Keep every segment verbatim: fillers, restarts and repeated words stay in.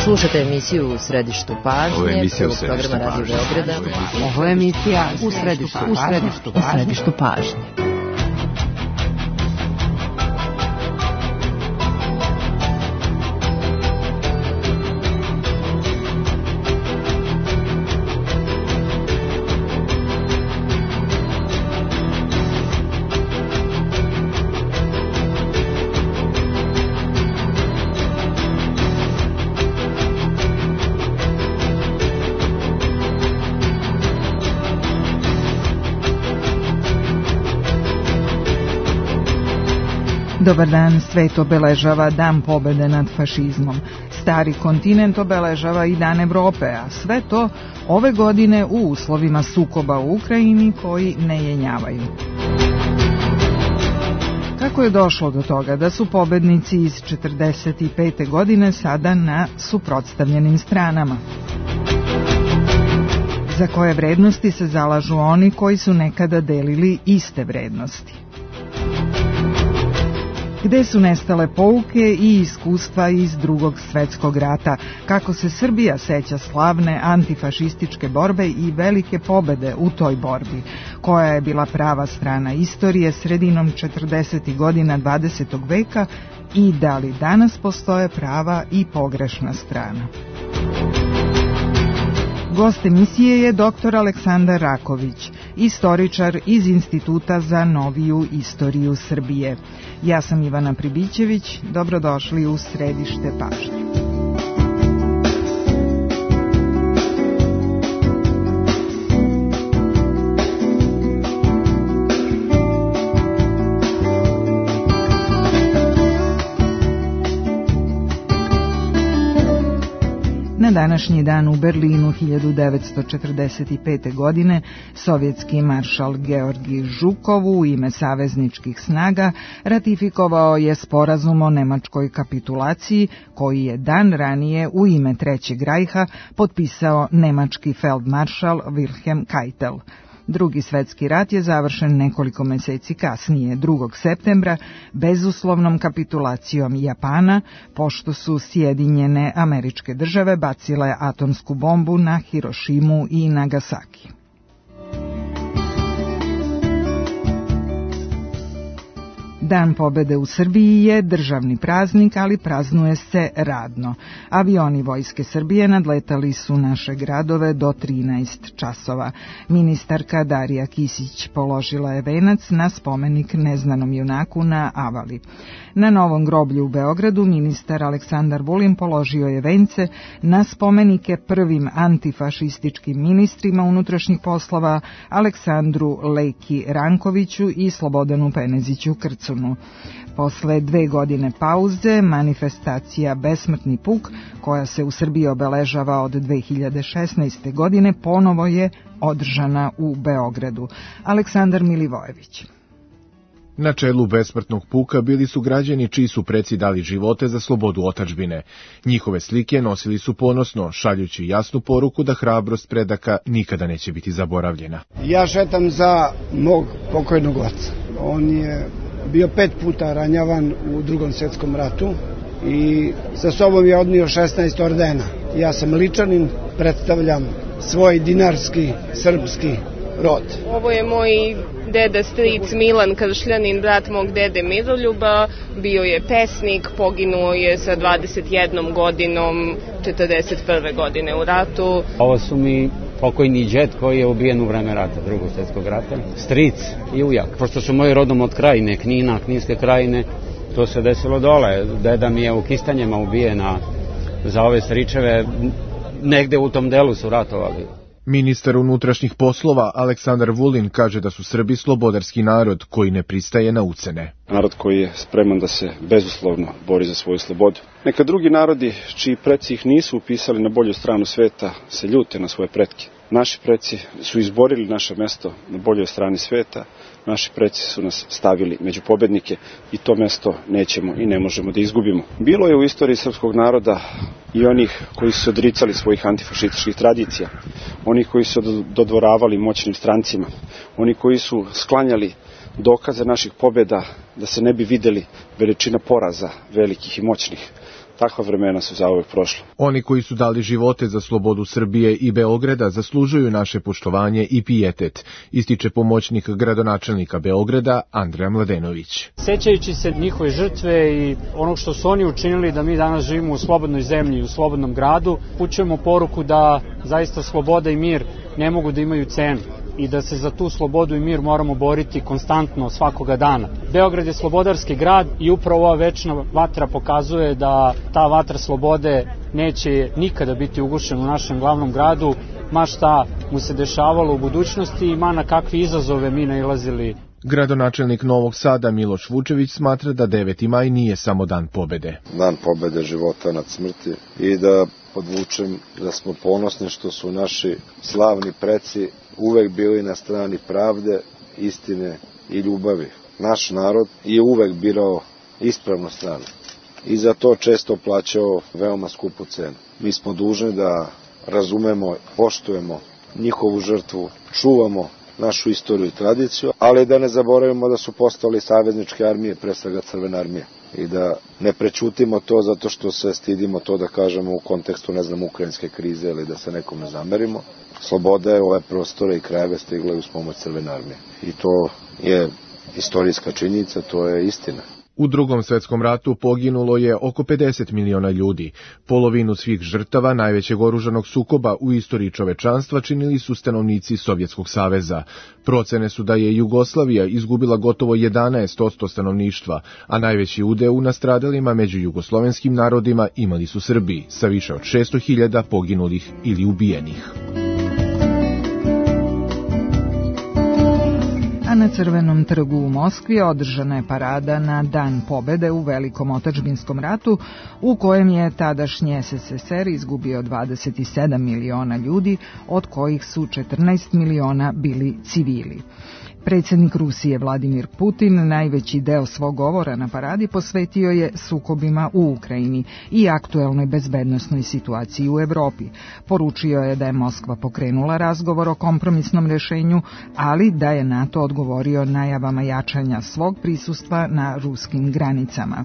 Slušate emisiju U središtu pažnje. Ovo je emisija U središtu pažnje. Ovo je emisija U središtu pažnje. U središtu, u središtu pažnje. Dobar dan, svet obeležava Dan pobede nad fašizmom. Stari kontinent obeležava i Dan Evrope, a sve to ove godine u uslovima sukoba u Ukrajini koji ne jenjavaju. Kako je došlo do toga da su pobednici iz četrdeset pete godine sada na suprotstavljenim stranama? Za koje vrednosti se zalažu oni koji su nekada delili iste vrednosti? Gde su nestale pouke i iskustva iz Drugog svetskog rata, kako se Srbija seća slavne antifašističke borbe i velike pobede u toj borbi, koja je bila prava strana istorije sredinom četrdesetih godina dvadesetog veka i da li danas postoje prava i pogrešna strana. Gost emisije je doktor Aleksandar Raković, istoričar iz Instituta za noviju istoriju Srbije. Ja sam Ivana Pribićević, dobrodošli u središte pažnje. Na današnji dan u Berlinu hiljadu devetsto četrdeset pete. godine sovjetski maršal Georgij Žukov u ime savezničkih snaga ratifikovao je sporazum o nemačkoj kapitulaciji koji je dan ranije u ime Trećeg rajha potpisao nemački feldmaršal Wilhelm Keitel. Drugi svetski rat je završen nekoliko meseci kasnije, drugog septembra, bezuslovnom kapitulacijom Japana, pošto su Sjedinjene Američke Države bacile atomsku bombu na Hirošimu i Nagasaki. Dan pobede u Srbiji je državni praznik, ali praznuje se radno. Avioni Vojske Srbije nadletali su naše gradove do trinaest časova. Ministarka Darija Kisić položila je venac na spomenik neznanom junaku na Avali. Na Novom groblju u Beogradu ministar Aleksandar Vulin položio je vence na spomenike prvim antifašističkim ministrima unutrašnjih poslova Aleksandru Leki Rankoviću i Slobodanu Peneziću Krcunu. Posle dve godine pauze, manifestacija Besmrtni puk, koja se u Srbiji obeležava od dve hiljade šesnaeste. godine, ponovo je održana u Beogradu. Aleksandar Milivojević. Na čelu besmrtnog puka bili su građani čiji su preci dali živote za slobodu otadžbine. Njihove slike nosili su ponosno, šaljući jasnu poruku da hrabrost predaka nikada neće biti zaboravljena. Ja šetam za mog pokojnog oca. On je bio pet puta ranjavan u Drugom svjetskom ratu i sa sobom je odnio šesnaest ordena. Ja sam ličanin, predstavljam svoj dinarski, srpski rod. Ovo je moj deda stric Milan Kršljanin, brat mog dede Miroljuba, bio je pesnik, poginuo je sa dvadeset jednom godinom, četrdeset prve. godine u ratu. Ovo su mi pokojni džed koji je ubijen u vreme rata, Drugog svjetskog rata, stric i ujak. Pošto su moji rodom od Krajine, Knina, Kninske Krajine, to se desilo dole. Deda mi je u Kistanjima ubijena za ove stričeve, negde u tom delu su ratovali. Ministar unutrašnjih poslova Aleksandar Vulin kaže da su Srbi slobodarski narod koji ne pristaje na ucene. Narod koji je spreman da se bezuslovno bori za svoju slobodu. Neka drugi narodi, čiji preci ih nisu upisali na bolju stranu sveta, se ljute na svoje pretke. Naši preci su izborili naše mesto na boljoj strani sveta, naši preci su nas stavili među pobednike i to mesto nećemo i ne možemo da izgubimo. Bilo je u istoriji srpskog naroda i onih koji su se odricali svojih antifašističkih tradicija, oni koji su dodvoravali moćnim strancima, oni koji su sklanjali dokaze naših pobjeda da se ne bi videli veličina poraza velikih i moćnih. takva vremena su zauvek prošla. Oni koji su dali živote za slobodu Srbije i Beograda zaslužuju naše poštovanje i pijetet, ističe pomoćnik gradonačelnika Beograda Andreja Mladenović. Sećajući se njihove žrtve i onog što su oni učinili da mi danas živimo u slobodnoj zemlji, u slobodnom gradu, upućujemo poruku da zaista sloboda i mir ne mogu da imaju cenu i da se za tu slobodu i mir moramo boriti konstantno svakoga dana. Beograd je slobodarski grad i upravo ova večna vatra pokazuje da ta vatra slobode neće nikada biti ugušena u našem glavnom gradu, ma šta mu se dešavalo u budućnosti i ma na kakve izazove mi nailazili. Gradonačelnik Novog Sada Miloš Vučević smatra da deveti maj nije samo dan pobede. Dan pobede života nad smrti i da podvučem da smo ponosni što su naši slavni preci uvek bili na strani pravde, istine i ljubavi. Naš narod je uvek birao ispravnu stranu i za to često plaćao veoma skupu cenu. Mi smo dužni da razumemo, poštujemo njihovu žrtvu, čuvamo našu istoriju i tradiciju, ali da ne zaboravimo da su postali savezničke armije, pre svega Crvena armija. I da ne prećutimo to zato što se stidimo to da kažemo u kontekstu, ne znam, ukrajinske krize ili da se nekom ne zamerimo. Sloboda je ove prostore i krajeve stigla uz pomoć Crvene armije. I to je istorijska činjenica, to je istina. U Drugom svetskom ratu poginulo je oko pedeset miliona ljudi. Polovinu svih žrtava najvećeg oružanog sukoba u istoriji čovečanstva činili su stanovnici Sovjetskog saveza. Procene su da je Jugoslavija izgubila gotovo jedanaest posto stanovništva, a najveći udeo u nastradalima među jugoslovenskim narodima imali su Srbi, sa više od šesto hiljada poginulih ili ubijenih. A na Crvenom trgu u Moskvi održana je parada na Dan pobede u Velikom otadžbinskom ratu, u kojem je tadašnji es es es er izgubio dvadeset sedam miliona ljudi, od kojih su četrnaest miliona bili civili. Predsjednik Rusije Vladimir Putin najveći deo svog govora na paradi posvetio je sukobima u Ukrajini i aktuelnoj bezbednosnoj situaciji u Evropi. Poručio je da je Moskva pokrenula razgovor o kompromisnom rešenju, ali da je NATO odgovorio najavama jačanja svog prisustva na ruskim granicama.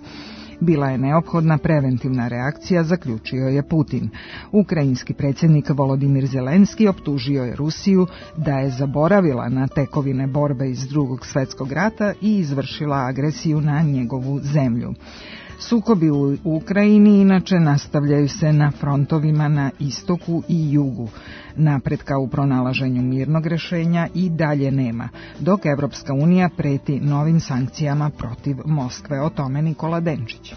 Bila je neophodna preventivna reakcija, zaključio je Putin. Ukrajinski predsjednik Volodimir Zelenski optužio je Rusiju da je zaboravila na tekovine borbe iz Drugog svjetskog rata i izvršila agresiju na njegovu zemlju. Sukobi u Ukrajini inače nastavljaju se na frontovima na istoku i jugu. Napretka u pronalaženju mirnog rešenja i dalje nema, dok Evropska unija preti novim sankcijama protiv Moskve. O tome Nikola Denčić.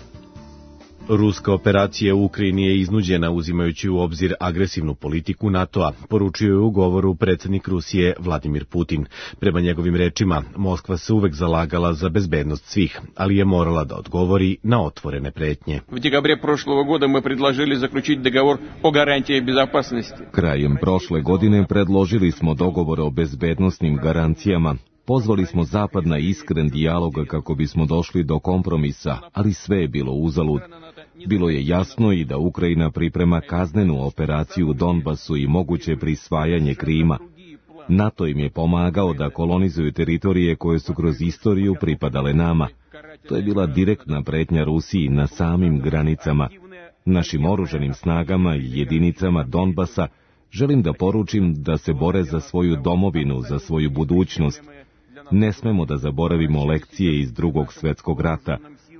Ruska operacija u Ukrajini je iznuđena uzimajući u obzir agresivnu politiku NATO-a, poručio je u govoru predsjednik Rusije Vladimir Putin. Prema njegovim rečima, Moskva se uvek zalagala za bezbednost svih, ali je morala da odgovori na otvorene pretnje. U dekabre prošlog года мы предложили заключить договор о гарантии безопасности. Krajem prošle godine predložili smo dogovor o bezbednosnim garancijama. Pozvali smo Zapad na iskren dijalog kako bismo došli do kompromisa, ali sve je bilo uzalud. Bilo je jasno i da Ukrajina priprema kaznenu operaciju u Donbasu i moguće prisvajanje Krima. NATO im je pomagao da kolonizuju teritorije koje su kroz istoriju pripadale nama. To je bila direktna pretnja Rusiji na samim granicama. Našim oružanim snagama i jedinicama Donbasa želim da poručim da se bore za svoju domovinu, za svoju budućnost. Ne smemo da zaboravimo lekcije iz Drugog svjetskog rata.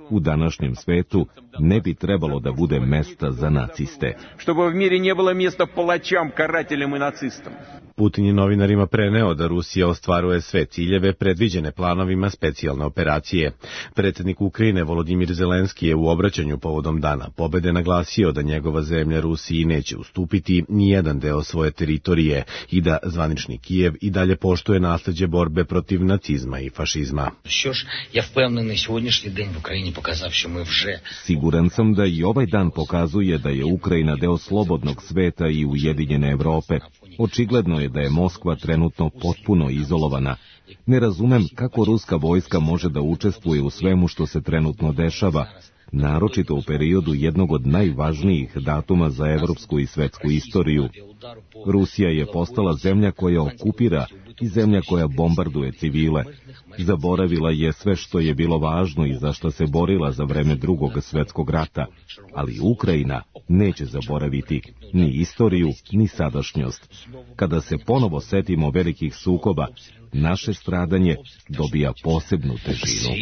U današnjem svetu ne bi trebalo da bude mesta za naciste. Чтобы в мире не было места палачам, карателям и нацистам. Putin je novinarima preneo da Rusija ostvaruje sve ciljeve predviđene planovima specijalne operacije. Predsjednik Ukrajine Volodimir Zelenski je u obraćanju povodom Dana pobede naglasio da njegova zemlja Rusiji neće ustupiti ni jedan deo svoje teritorije i da zvanični Kijev i dalje poštuje nasleđe borbe protiv nacizma i fašizma. Siguran sam da i ovaj dan pokazuje da je Ukrajina deo slobodnog sveta i ujedinjene Evrope. Očigledno je da je Moskva trenutno potpuno izolovana. Ne razumem kako ruska vojska može da učestvuje u svemu što se trenutno dešava. naročito u periodu jednog od najvažnijih datuma za evropsku i svetsku istoriju. Rusija je postala zemlja koja okupira i zemlja koja bombarduje civile. Zaboravila je sve što je bilo važno i za što se borila za vreme Drugog svetskog rata, ali Ukrajina neće zaboraviti ni istoriju, ni sadašnjost. Kada se ponovo setimo velikih sukoba, naše stradanje dobija posebnu težinu.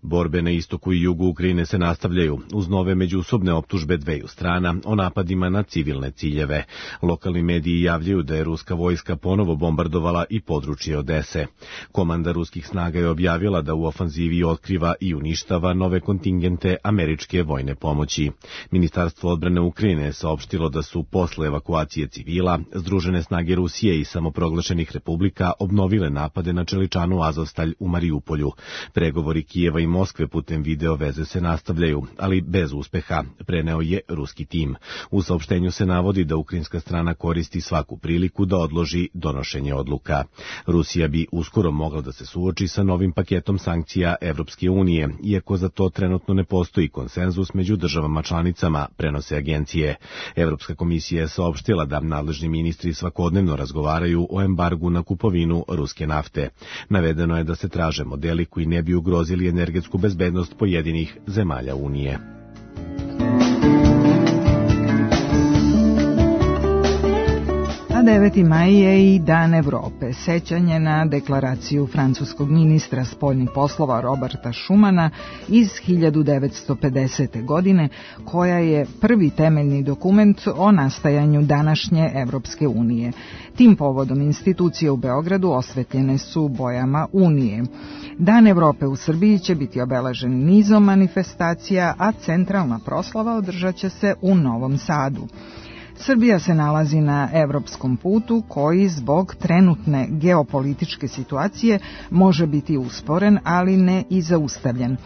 Borbe na istoku i jugu Ukrajine se nastavljaju uz nove međusobne optužbe dveju strana o napadima na civilne ciljeve. Lokalni mediji javljaju da je ruska vojska ponovo bombardovala i područje Odese. Komanda ruskih snaga je objavila da u ofanzivi otkriva i uništava nove kontingente američke vojne pomoći. Ministarstvo odbrane Ukrajine je saopštilo da su posle evakuacije civila Združene snage Rusije i samoproglašenih republika obnovile napade na čeličanu Azovstalj u Marijupolju. Pregovori Kijeva i Moskve putem video veze se nastavljaju, ali bez uspeha, preneo je ruski tim. U saopštenju se navodi da ukrajinska strana koristi svaku priliku da odloži donošenje odluka. Rusija bi uskoro mogla da se suoči sa novim paketom sankcija Evropske unije, iako za to trenutno ne postoji konsenzus među državama članicama, prenose agencije. Evropska komisija je saopštila da nadležni ministri svakodnevno razgovaraju o embargu na kupovinu ruske nafte. Navedeno je da se traže modeli koji ne bi ugrozili energetsku bezbednost pojedinih zemalja Unije. A deveti maj je i Dan Evrope, sećanje na deklaraciju francuskog ministra spoljnih poslova Roberta Schumana iz hiljadu devetsto pedesete. godine, koja je prvi temeljni dokument o nastajanju današnje Evropske unije. Tim povodom institucije u Beogradu osvetljene su bojama Unije. Dan Evrope u Srbiji će biti obeležen nizom manifestacija, a centralna proslava održaće se u Novom Sadu. Srbija se nalazi na evropskom putu koji zbog trenutne geopolitičke situacije može biti usporen, ali ne i zaustavljen.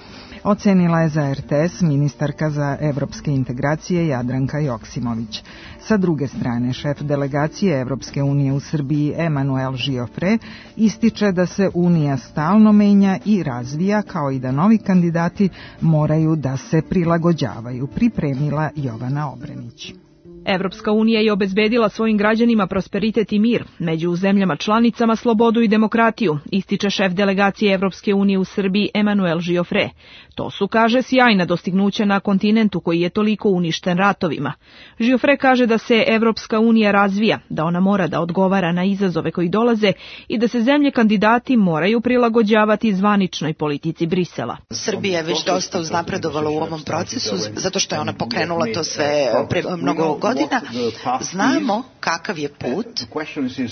Ocenila je za er te es ministarka za evropske integracije Jadranka Joksimović. Sa druge strane, šef delegacije Evropske unije u Srbiji Emanuel Žiofre ističe da se Unija stalno menja i razvija, kao i da novi kandidati moraju da se prilagođavaju, pripremila Jovana Obrenić. Evropska unija je obezbedila svojim građanima prosperitet i mir, među zemljama članicama slobodu i demokratiju, ističe šef delegacije Evropske unije u Srbiji Emanuel Žiofre. To su, kaže, sjajna dostignuća na kontinentu koji je toliko uništen ratovima. Žiofre kaže da se Evropska unija razvija, da ona mora da odgovara na izazove koji dolaze i da se zemlje kandidati moraju prilagođavati zvaničnoj politici Brisela. Srbija je već dosta uznapredovala u ovom procesu, zato što je ona pokrenula to sve pre mnogo godina. Znamo kakav je put.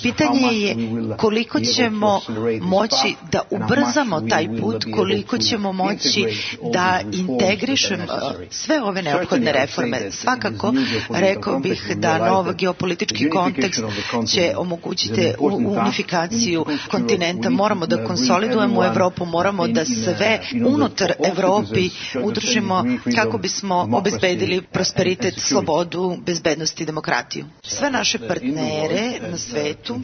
Pitanje je koliko ćemo moći da ubrzamo taj put, koliko ćemo moći da integrišemo sve ove neophodne reforme. Svakako, rekao bih da nov geopolitički kontekst će omogućiti unifikaciju kontinenta. Moramo da konsolidujemo Evropu, moramo da sve unutar Evropi udružimo kako bismo obezbedili prosperitet, slobodu, bezbednost i demokratiju. Sve naše partnere na svetu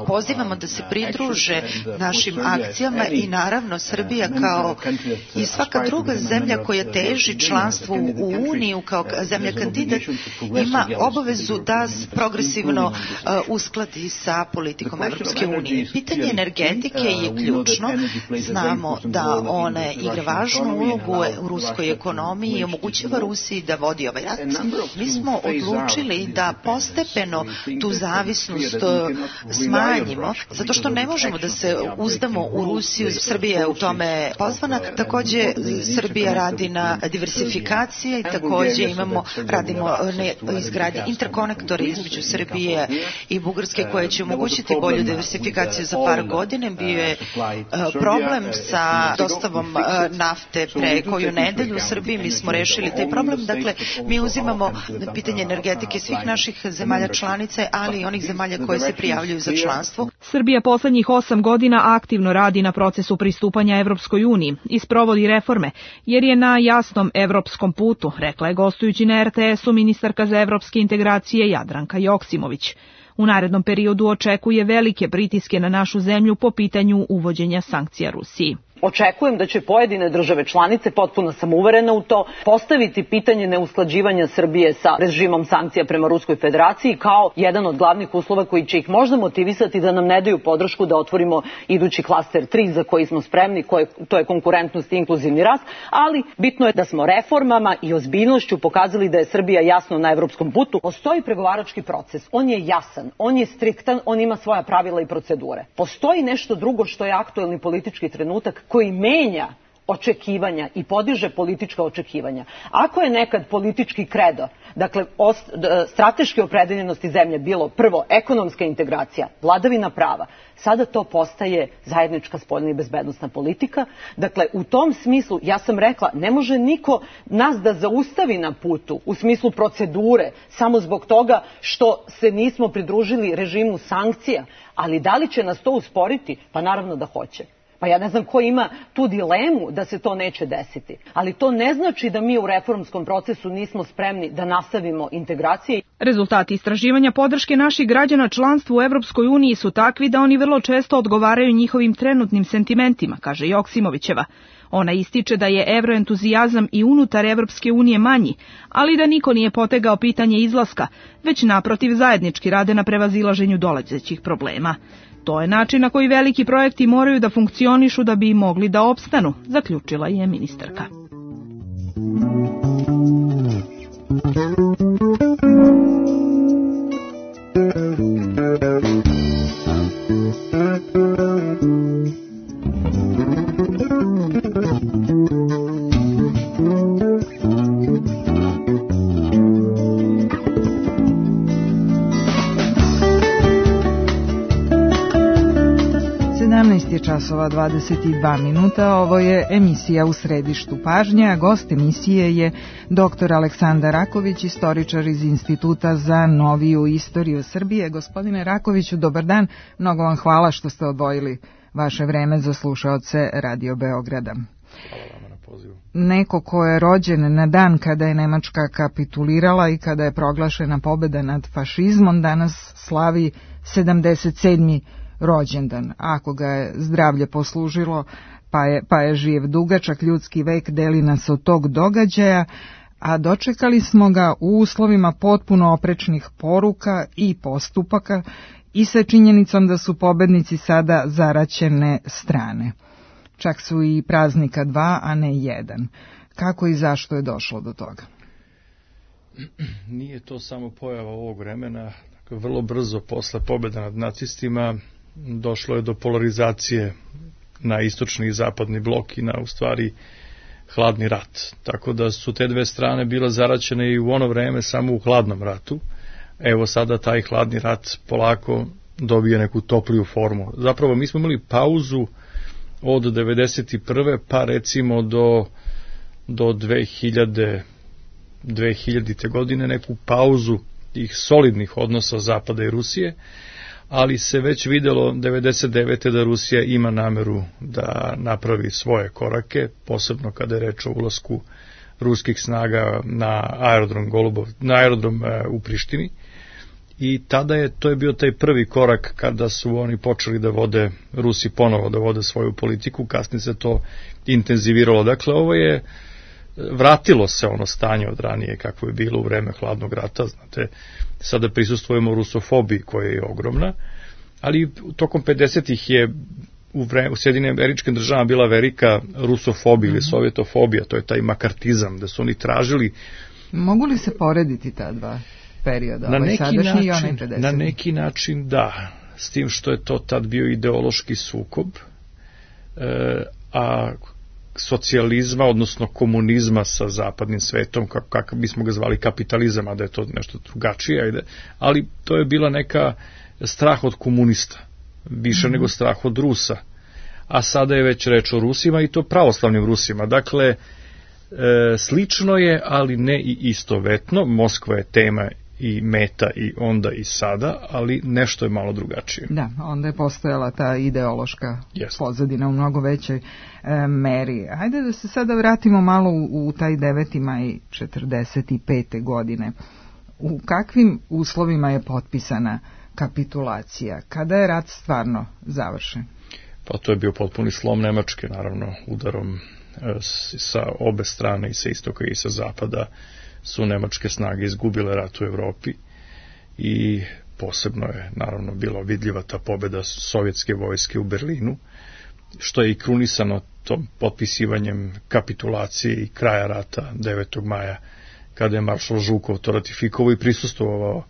pozivamo da se pridruže našim akcijama i naravno Srbija kao i svaka druga zemlja koja teži članstvu u Uniju kao zemlja kandidat ima obavezu da progresivno uskladi sa politikom Evropske unije. Pitanje energetike je ključno. Znamo da ona igra važnu ulogu u ruskoj ekonomiji i omogućava Rusiji da vodi ovaj rat. Mi smo odlučili da postepeno tu zavisnost smanjimo, zato što ne možemo da se uzdamo u Rusiju. Srbija je u tome pozvana. Takođe, Srbija radi na diversifikaciji i takođe imamo, radimo na izgradnji interkonektora između Srbije i Bugarske koje će omogućiti bolju diversifikaciju za par godina. Bio je problem sa dostavom nafte pre koju nedelju u Srbiji. Mi smo rešili taj problem. Dakle, mi uzimamo pitanje energetike svih naših zemalja članice, ali i onih zemalja koje se prijavljuju za članstvo. Srbija poslednjih osam godina aktivno radi na procesu pristupanja Evropskoj uniji i sprovodi reforme, jer je na jasnom evropskom putu, rekla je gostujući na er te esu ministarka za evropske integracije Jadranka Joksimović. U narednom periodu očekuje velike pritiske na našu zemlju po pitanju uvođenja sankcija Rusiji. Očekujem da će pojedine države članice, potpuno sam uverena u to, postaviti pitanje neusklađivanja Srbije sa režimom sankcija prema Ruskoj federaciji kao jedan od glavnih uslova koji će ih možda motivisati da nam ne daju podršku da otvorimo idući klaster tri za koji smo spremni, koje, to je konkurentnost i inkluzivni rast, ali bitno je da smo reformama i ozbiljnošću pokazali da je Srbija jasno na evropskom putu. Postoji pregovarački proces, on je jasan, on je striktan, on ima svoja pravila i procedure. Postoji nešto drugo što je aktuelni politički trenutak koji menja očekivanja i podiže politička očekivanja. Ako je nekad politički kredo, dakle ost, strateške opredeljenosti zemlje bilo prvo ekonomska integracija, vladavina prava, sada to postaje zajednička spoljna i bezbednosna politika. Dakle, u tom smislu, ja sam rekla, ne može niko nas da zaustavi na putu u smislu procedure samo zbog toga što se nismo pridružili režimu sankcija, ali da li će nas to usporiti? Pa naravno da hoće. Pa ja ne znam ko ima tu dilemu da se to neće desiti. Ali to ne znači da mi u reformskom procesu nismo spremni da nastavimo integracije. Rezultati istraživanja podrške naših građana članstvu u Evropskoj uniji su takvi da oni vrlo često odgovaraju njihovim trenutnim sentimentima, kaže Joksimovićeva. Ona ističe da je evroentuzijazam i unutar Evropske unije manji, ali da niko nije potegao pitanje izlaska, već naprotiv zajednički rade na prevazilaženju dolazećih problema. To je način na koji veliki projekti moraju da funkcionišu da bi mogli da opstanu, zaključila je ministarka. sedamnaest je časova dvadeset dva minuta, ovo je emisija U središtu pažnje, a gost emisije je doktor Aleksandar Raković, istoričar iz Instituta za noviju istoriju Srbije. Gospodine Rakoviću, dobar dan, mnogo vam hvala što ste odvojili vaše vreme za slušaoce Radio Beograda. Hvala vama na pozivu. Neko ko je rođen na dan kada je Nemačka kapitulirala i kada je proglašena pobeda nad fašizmom, danas slavi sedamdeset sedmi rođendan. Ako ga je zdravlje poslužilo, pa je, pa je živ. Dugačak ljudski vek deli nas od tog događaja, a dočekali smo ga u uslovima potpuno oprečnih poruka i postupaka i sa činjenicom da su pobednici sada zaraćene strane. Čak su i praznika dva, a ne jedan. Kako i zašto je došlo do toga? Nije to samo pojava ovog vremena. Vrlo brzo posle pobjede nad nacistima došlo je do polarizacije na istočni i zapadni blok i na, u stvari, hladni rat. Tako da su te dve strane bile zaraćene i u ono vreme samo u hladnom ratu. Evo sada taj hladni rat polako dobije neku topliju formu. Zapravo mi smo imali pauzu od devedeset prve pa recimo do, do dve hiljade, dve hiljadite godine neku pauzu tih solidnih odnosa Zapada i Rusije, ali se već videlo devedeset devete da Rusija ima nameru da napravi svoje korake, posebno kada je reč o ulasku ruskih snaga na aerodrom Golubov, na aerodrom u Prištini. I tada je, to je bio taj prvi korak kada su oni počeli da vode, Rusi ponovo da vode svoju politiku, kasnije se to intenziviralo. Dakle, ovo je, vratilo se ono stanje od ranije kako je bilo u vreme hladnog rata, znate, sada prisustvujemo rusofobiji koja je ogromna, ali tokom pedesetih je u, vreme, u Sjedinim Američkim državama bila velika rusofobija ili sovjetofobija, to je taj makartizam, da su oni tražili. Mogu li se porediti ta dva perioda, na ovaj neki sadašnji i onaj način, pedeseti? na neki način da, s tim što je to tad bio ideološki sukob, e, a socijalizma, odnosno komunizma sa zapadnim svetom, kako, kako bismo ga zvali kapitalizam, a da je to nešto drugačije, ajde, ali to je bila neka strah od komunista, više mm-hmm. nego strah od Rusa, a sada je već reč o Rusima i to pravoslavnim Rusima, dakle, e, slično je, ali ne i istovetno, Moskva je tema i meta i onda i sada, ali nešto je malo drugačije. Da, onda je postojala ta ideološka yes. pozadina u mnogo većoj e, meri. Hajde da se sada vratimo malo u, u taj deveti maj četrdeset pete godine. U kakvim uslovima je potpisana kapitulacija? Kada je rat stvarno završen? pa to je bio potpuni slom Nemačke, naravno udarom sa obe strane, i sa istoka i sa zapada, su nemačke snage izgubile rat u Evropi i posebno je naravno bila vidljiva ta pobeda sovjetske vojske u Berlinu, što je i krunisano tom potpisivanjem kapitulacije i kraja rata devetog maja, kada je maršal Žukov to ratifikovao i prisustvovao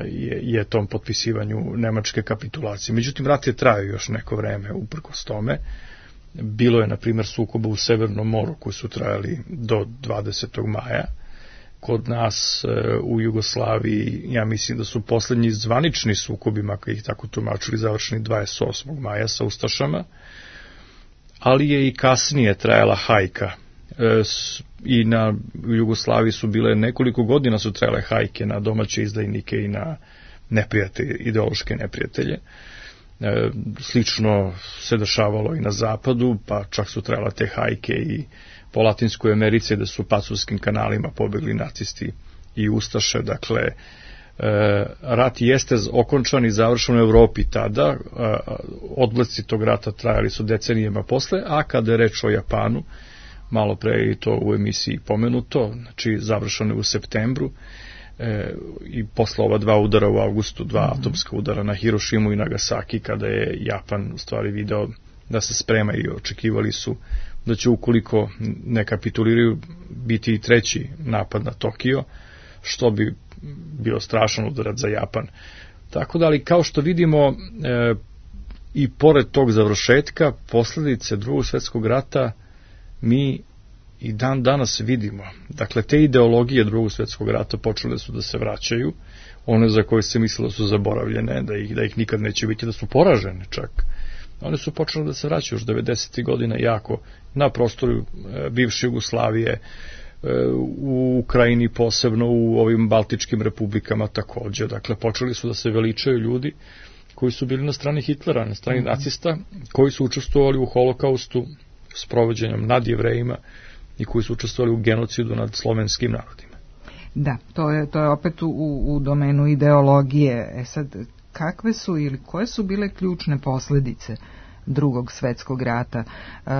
je, je tom potpisivanju nemačke kapitulacije. Međutim, rat je trajao još neko vreme uprkos tome. Bilo je, na primjer, sukoba u Severnom moru koji su trajali do dvadesetog maja. Kod nas u Jugoslaviji, ja mislim da su poslednji zvanični sukobi, makar ih tako tumačili, završeni dvadeset osmog maja sa ustašama, ali je i kasnije trajala hajka. I na u Jugoslaviji su bile nekoliko godina su trajale hajke na domaće izdajnike i na neprijatelje, ideološke neprijatelje. E, slično se dešavalo i na zapadu, pa čak su trajale te hajke i po Latinskoj Americi, da su pacurskim kanalima pobegli nacisti i ustaše. Dakle, e, rat jeste okončan i završen u Evropi tada, e, odblesci tog rata trajali su decenijama posle, a kada je reč o Japanu, malo pre je to u emisiji pomenuto, znači završeno je u septembru, e, i posle ova dva udara u avgustu, dva mm-hmm. atomska udara na Hirošimu i Nagasaki, kada je Japan u stvari video da se sprema i očekivali su da će, ukoliko ne kapituliraju, biti i treći napad na Tokio, što bi bio strašan udarac za Japan. Tako da, ali kao što vidimo, e, i pored tog završetka, posledice Drugog svjetskog rata mi i dan danas vidimo. Dakle, te ideologije Drugog svjetskog rata počele su da se vraćaju, one za koje se mislilo su zaboravljene, da ih, da ih nikad neće biti, da su poražene čak. One su počele da se vraćaju još devedesetih godina jako na prostoru e, bivše Jugoslavije, e, u Ukrajini posebno, u ovim baltičkim republikama takođe. Dakle, počeli su da se veličaju ljudi koji su bili na strani Hitlera, na strani mm-hmm. nacista, koji su učestvovali u holokaustu s provođenjem nad Jevrejima i koji su učestvovali u genocidu nad slovenskim narodima. Da, to je, to je opet u, u domenu ideologije. E sad, kakve su ili koje su bile ključne posledice Drugog svjetskog rata? E,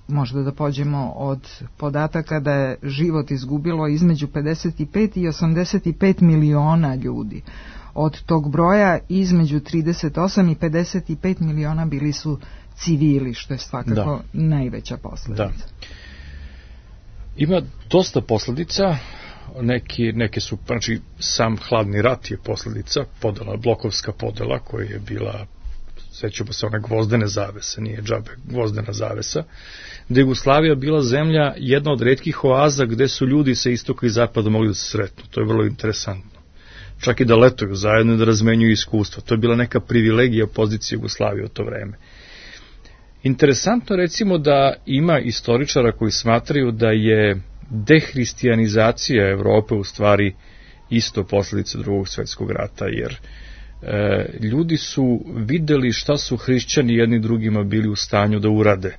možda da pođemo od podataka da je život izgubilo između pedeset pet i osamdeset pet miliona ljudi. Od tog broja između trideset osam i pedeset pet miliona bili su civili, što je svakako da. najveća posledica. Da. Ima dosta posledica, neki, neke su, znači sam hladni rat je posledica, podela, blokovska podela koja je bila, sećamo se one gvozdene zavese, nije džabe, gvozdena zavesa, da je Jugoslavija bila zemlja, jedna od retkih oaza gde su ljudi sa istoka i zapada mogli da se sretnu. To je vrlo interesantno. Čak i da letuju zajedno, da razmenjuju iskustva. To je bila neka privilegija pozicije Jugoslavije u to vreme. Interesantno recimo da ima istoričara koji smatraju da je dehristijanizacija Evrope u stvari isto posljedica Drugog svjetskog rata, jer e, ljudi su videli šta su hrišćani jedni drugima bili u stanju da urade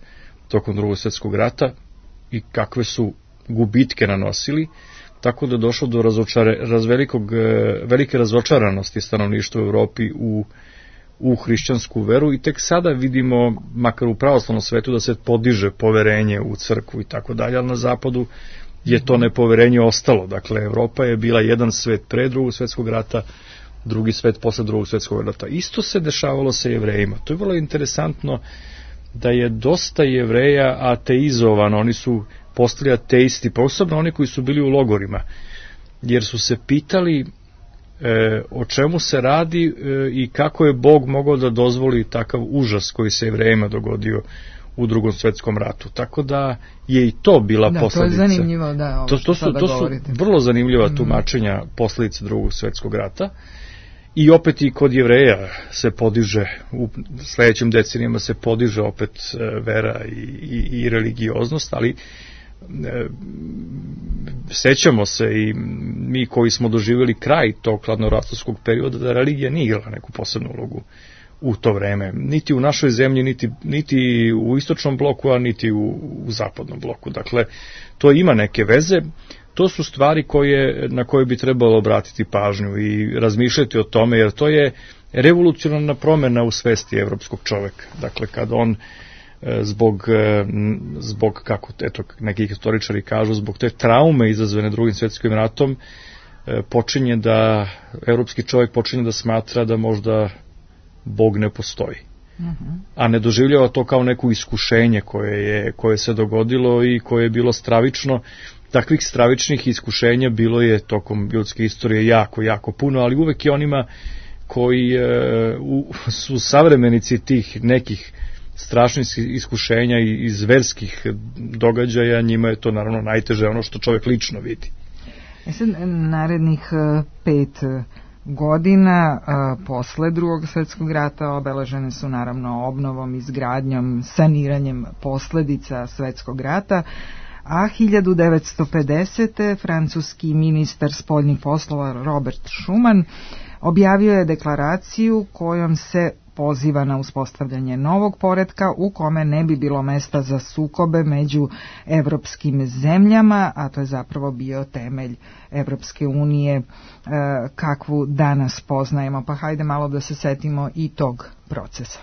tokom Drugog svjetskog rata i kakve su gubitke nanosili, tako da je došlo do razočare, razvelikog, velike razočaranosti stanovništva u Evropi u u hrišćansku veru i tek sada vidimo, makar u pravoslavnom svetu, da se podiže poverenje u crkvu i tako dalje, ali na zapadu je to nepoverenje ostalo. Dakle, Evropa je bila jedan svet pre Drugog svjetskog rata, drugi svet posle Drugog svjetskog rata. Isto se dešavalo sa Jevrejima. To je vrlo interesantno da je dosta Jevreja ateizovano, oni su postali ateisti, posebno oni koji su bili u logorima, jer su se pitali E, o čemu se radi e, i kako je Bog mogao da dozvoli takav užas koji se Jevrejima dogodio u Drugom svjetskom ratu. Tako da je i to bila da, posledica. To je zanimljivo, da, ovo to, to su, to su vrlo zanimljiva mm. tumačenja posljedice Drugog svjetskog rata. I opet i kod Jevreja se podiže, u sledećim decenijama se podiže opet vera i, i, i religioznost, ali e, sećamo se i mi koji smo doživjeli kraj tog hladnoratovskog perioda da religija nije igrala neku posebnu ulogu u to vreme, niti u našoj zemlji, niti, niti u istočnom bloku, a niti u, u zapadnom bloku. Dakle, to ima neke veze. To su stvari koje, na koje bi trebalo obratiti pažnju i razmišljati o tome, jer to je revolucionarna promena u svesti evropskog čoveka. Dakle, kad on zbog, zbog kako eto, neki historičari kažu, zbog te traume izazvane Drugim svetskim ratom, počinje da, evropski čovjek počinje da smatra da možda Bog ne postoji. Uh-huh. A ne doživljava to kao neko iskušenje koje je, koje se dogodilo i koje je bilo stravično. Takvih stravičnih iskušenja bilo je tokom ljudske istorije jako, jako puno, ali uvek je onima koji e, u, su savremenici tih nekih strašnih iskušenja i iz verskih događaja, njima je to naravno najteže, ono što čovjek lično vidi. E sad, narednih pet godina posle Drugog svjetskog rata obeležene su naravno obnovom, izgradnjom, saniranjem posledica svjetskog rata, a hiljadu devetsto pedesete. francuski ministar spoljnih poslova Robert Schuman objavio je deklaraciju kojom se poziva na uspostavljanje novog poretka u kome ne bi bilo mesta za sukobe među evropskim zemljama, a to je zapravo bio temelj Evropske unije kakvu danas poznajemo. Pa hajde malo da se setimo i tog procesa.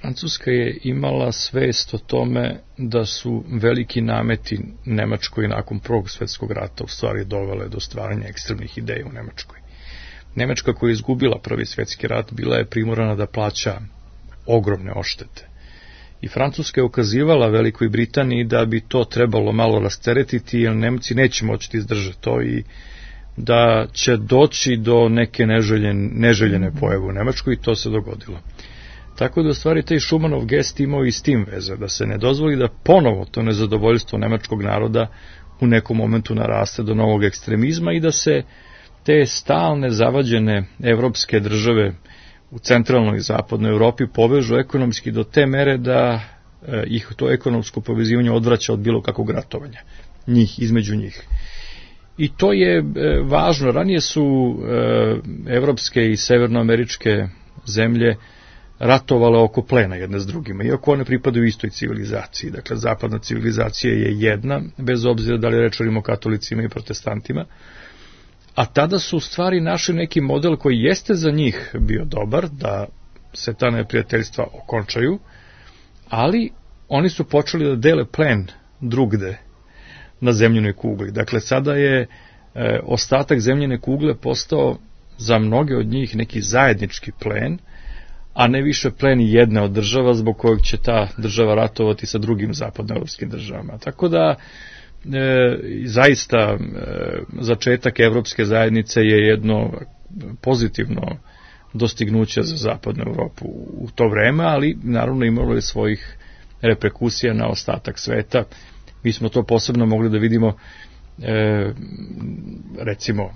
Francuska je imala svest o tome da su veliki nameti Nemačkoj nakon Prvog svjetskog rata u stvari dovele do stvaranja ekstremnih ideja u Nemačkoj. Nemačka koja je izgubila Prvi svjetski rat bila je primorana da plaća ogromne odštete. I Francuska je ukazivala Velikoj Britaniji da bi to trebalo malo rasteretiti, jer Nemci neće moći izdržati to i da će doći do neke neželjene, neželjene pojave u Nemačkoj i to se dogodilo. Tako da u stvari taj Šumanov gest imao i s tim veze, da se ne dozvoli da ponovo to nezadovoljstvo nemačkog naroda u nekom momentu naraste do novog ekstremizma i da se te stalne zavađene evropske države u centralnoj i zapadnoj Evropi povežu ekonomski do te mere da e, ih to ekonomsko povezivanje odvraća od bilo kakvog ratovanja, njih, između njih. I to je e, važno. Ranije su e, evropske i severnoameričke zemlje ratovale oko plena jedne s drugima, iako one pripadaju istoj civilizaciji. Dakle, zapadna civilizacija je jedna, bez obzira da li rečemo katolicima i protestantima, a tada su u stvari našli neki model koji jeste za njih bio dobar, da se ta neprijateljstva okončaju, ali oni su počeli da dele plen drugde na zemljinoj kugli. Dakle, sada je e, ostatak zemljine kugle postao za mnoge od njih neki zajednički plen, a ne više plen jedne od država zbog kojeg će ta država ratovati sa drugim zapadnoevropskim državama. Tako da E, zaista e, začetak Evropske zajednice je jedno pozitivno dostignuće za zapadnu Evropu u to vreme, ali naravno imalo je svojih reperkusija na ostatak sveta. Mi smo to posebno mogli da vidimo e, recimo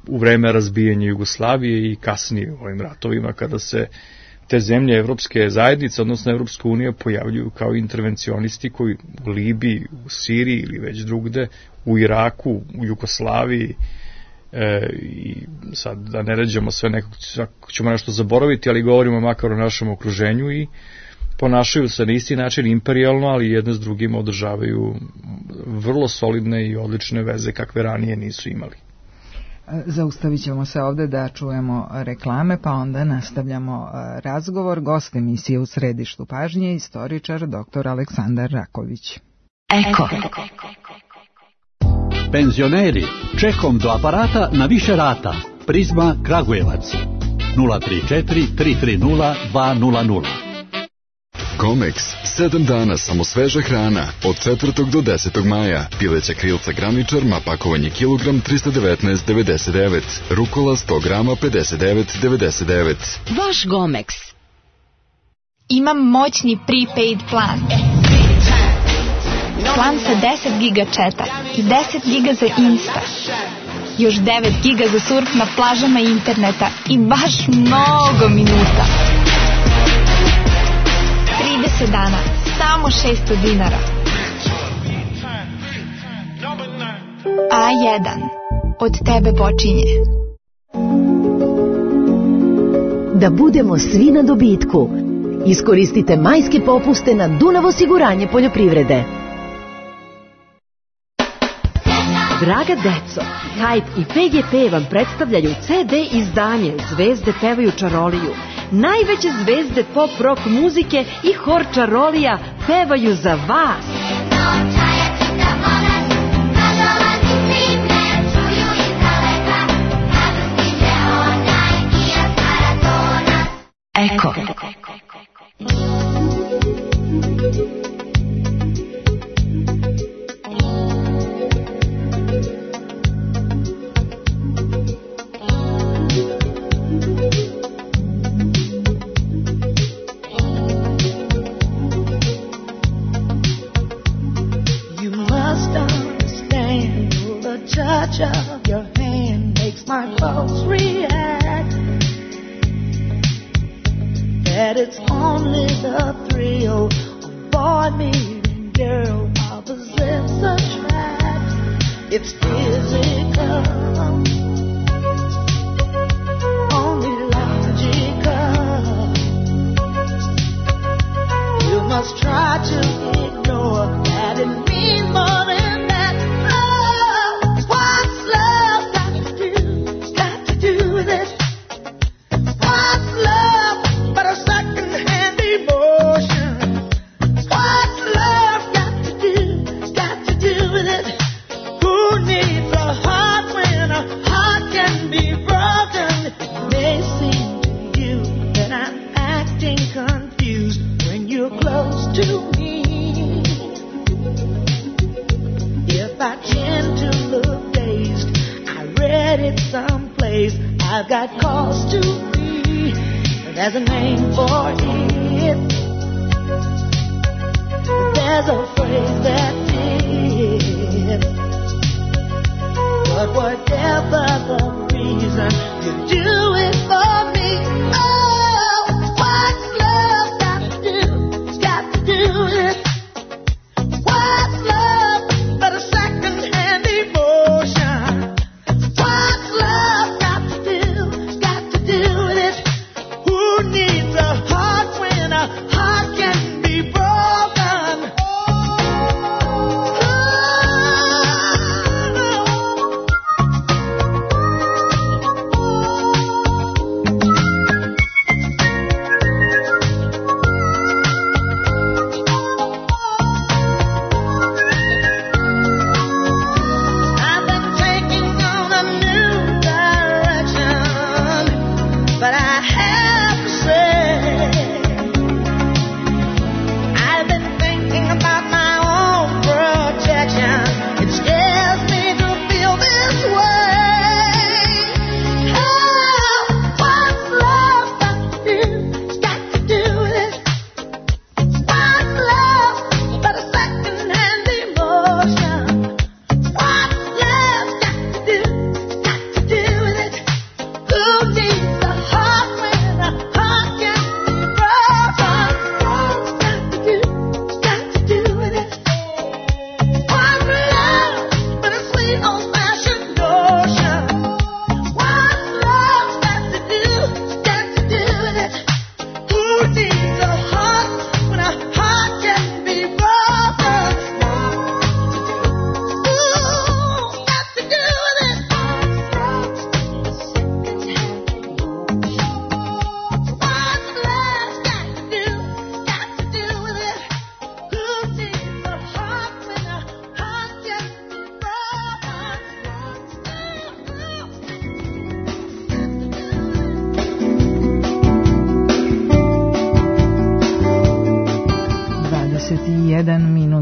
u vreme razbijanja Jugoslavije i kasnije u ovim ratovima kada se te zemlje Evropske zajednice, odnosno Evropska unija, pojavljuju kao intervencionisti koji u Libiji, u Siriji ili već drugde, u Iraku, u Jugoslaviji, e, i sad da ne ređamo sve nekog, ćemo nešto zaboraviti, ali govorimo makar o našem okruženju i ponašaju se na isti način imperijalno, ali jedne s drugim održavaju vrlo solidne i odlične veze kakve ranije nisu imali. Zaustavit ćemo se ovde da čujemo reklame, pa onda nastavljamo razgovor. Gost emisije U središtu pažnje, istoričar doktor Aleksandar Raković. Eko. Penzioneri, čekom do aparata na više rata. Prizma Kragujevac. nula tri četiri tri tri nula dva nula nula. Comex, sedam dana samo sveža hrana, od četvrtog do desetog maja. Pileća krilca graničarma, pakovanje kilogram trista devetnaest devedeset devet, rukola sto grama pedeset devet devedeset devet. Vaš Gomex. Imam moćni prepaid plan. Plan sa deset giga četa i deset giga za Insta. Još devet giga za surf na plažama interneta i baš mnogo minuta. trideset dana, samo šesto dinara. A jedan. Od tebe počinje. Da budemo svi na dobitku. Iskoristite majske popuste na Dunav osiguranje poljoprivrede. Draga deco, Hype i P G P vam predstavljaju ce de izdanje Zvezde pevaju čaroliju. Najveće zvezde pop rock muzike i hor čarolija pevaju za vas. Eko. Touch of your hand makes my pulse react. That it's only the thrill of boy meeting girl opposites attract. It's physical, only logical. You must try to ignore that it means more than that. I've got cause to be, there's a name for it. There's a phrase that fits. But whatever the reason, you do it for me. Oh, what's love got to do? It's got to do with it. What's love but a second-hand emotion? What's love?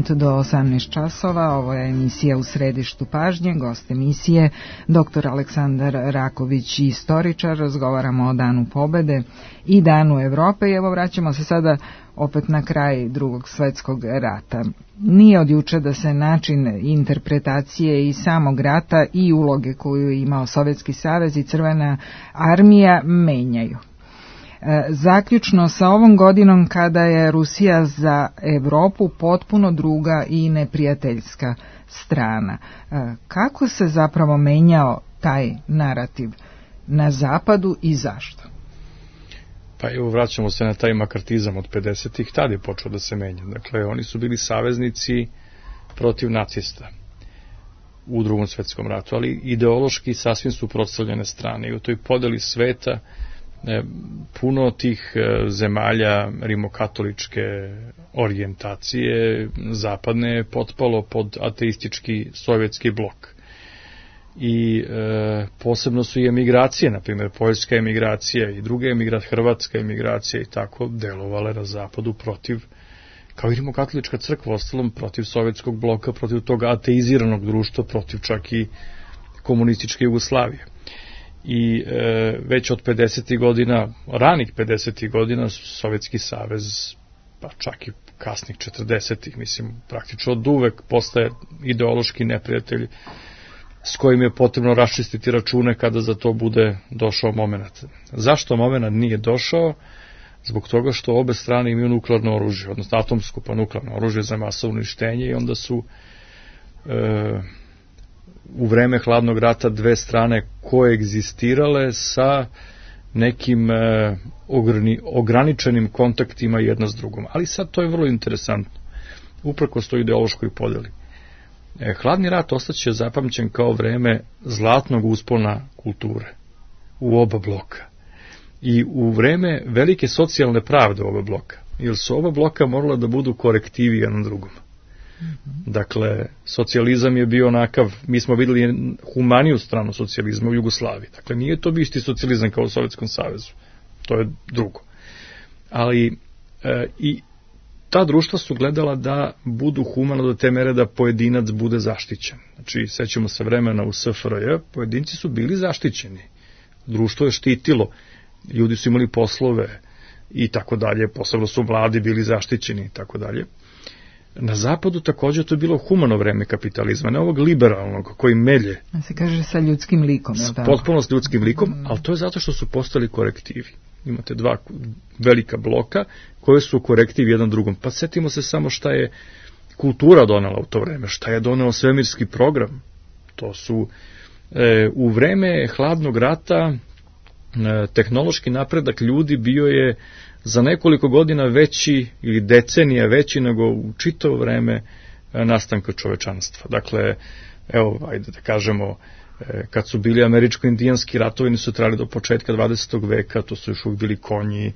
Do osamnaest časova, ovo je emisija U središtu pažnje, gost emisije doktor Aleksandar Raković, istoričar. Razgovaramo o Danu pobede i Danu Evrope i evo vraćamo se sada opet na kraj Drugog svetskog rata. Nije od juče da se način interpretacije i samog rata i uloge koju je imao Sovjetski savez i Crvena armija menjaju. Zaključno sa ovom godinom kada je Rusija za Evropu potpuno druga i neprijateljska strana. Kako se zapravo menjao taj narativ na zapadu i zašto? Pa evo, vraćamo se na taj makartizam od pedesetih, tada je počeo da se menja. Dakle, oni su bili saveznici protiv nacista. u Drugom svetskom ratu, ali ideološki sasvim suprotstavljene strane. I u toj podeli sveta e, puno tih e, zemalja rimokatoličke orijentacije zapadne je potpalo pod ateistički sovjetski blok. I e, posebno su i emigracije, na primjer poljska emigracija i druga emigracija, hrvatska emigracija i tako delovale na zapadu protiv, kao i rimokatolička crkva, ostalom protiv sovjetskog bloka, protiv toga ateiziranog društva, protiv čak i komunističke Jugoslavije. I e, već od pedesetih godina, ranih pedesetih godina, Sovjetski savez, pa čak i kasnih četrdesetih, mislim, praktično od uvek postaje ideološki neprijatelj s kojim je potrebno raščistiti račune kada za to bude došao moment. Zašto moment nije došao? Zbog toga što obe strane imaju nuklearno oružje, odnosno atomsko pa nuklearno oružje za masovno uništenje i onda su e, u vreme hladnog rata dve strane koegzistirale sa nekim e, ograni, ograničenim kontaktima jedna s drugom. Ali sad to je vrlo interesantno, uprkos toj ideološkoj podeli. E, hladni rat ostaće zapamćen kao vreme zlatnog uspona kulture u oba bloka i u vreme velike socijalne pravde u oba bloka, jer su oba bloka morala da budu korektivi jednom drugom. Mm-hmm. Dakle, socijalizam je bio onakav, mi smo videli humaniju stranu socijalizma u Jugoslaviji, dakle nije to bio isti socijalizam kao u Sovjetskom savezu, to je drugo. Ali e, i ta društva su gledala da budu humano do te mere da pojedinac bude zaštićen. Znači, sećamo se vremena u S F R J, pojedinci su bili zaštićeni. Društvo je štitilo, ljudi su imali poslove i tako dalje, posebno su mladi bili zaštićeni i tako dalje. Na zapadu također to je bilo humano vreme kapitalizma, ne ovog liberalnog koji melje. A se kaže sa ljudskim likom. S, potpuno s ljudskim likom, ali to je zato što su postali korektivi. Imate dva velika bloka koje su korektivi jedan drugom. Pa setimo se samo šta je kultura donela u to vreme, šta je doneo svemirski program. To su e, u vreme hladnog rata e, tehnološki napredak ljudi bio je za nekoliko godina veći ili decenija veći nego u čitavo vreme e, nastanka čovečanstva. Dakle, evo, ajde da kažemo, kad su bili američko-indijanski ratovi, nisu trajali do početka dvadesetog veka, to su još uvijek bili konji